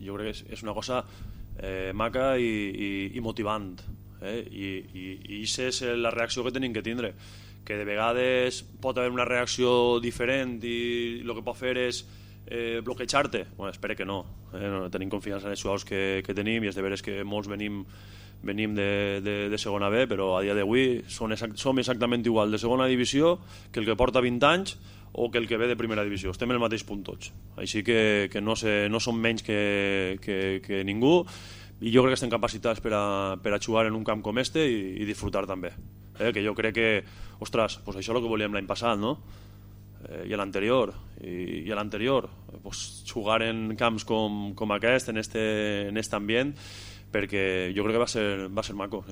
jo crec que és una cosa maca i motivant, i això és la reacció que tenim que tindre, que de vegades pot haver una reacció diferent i el que pot fer és bloquejar-te. Bueno, espero que no, tenim confiança en els jugadors que tenim, i és de veres que molts venim de segona B, però a dia d'avui som exactament igual de segona divisió que el que porta 20 anys o que el que ve de primera divisió. Estem en el mateix punt tots, així que no som menys que ningú, i jo crec que estem capacitats per a jugar en un camp com este i disfrutar també, que jo crec que, ostres, pues això és el que volíem l'any passat, no? I a l'anterior pues, jugar en camps com aquest, en este ambient, perquè jo crec que va ser maco.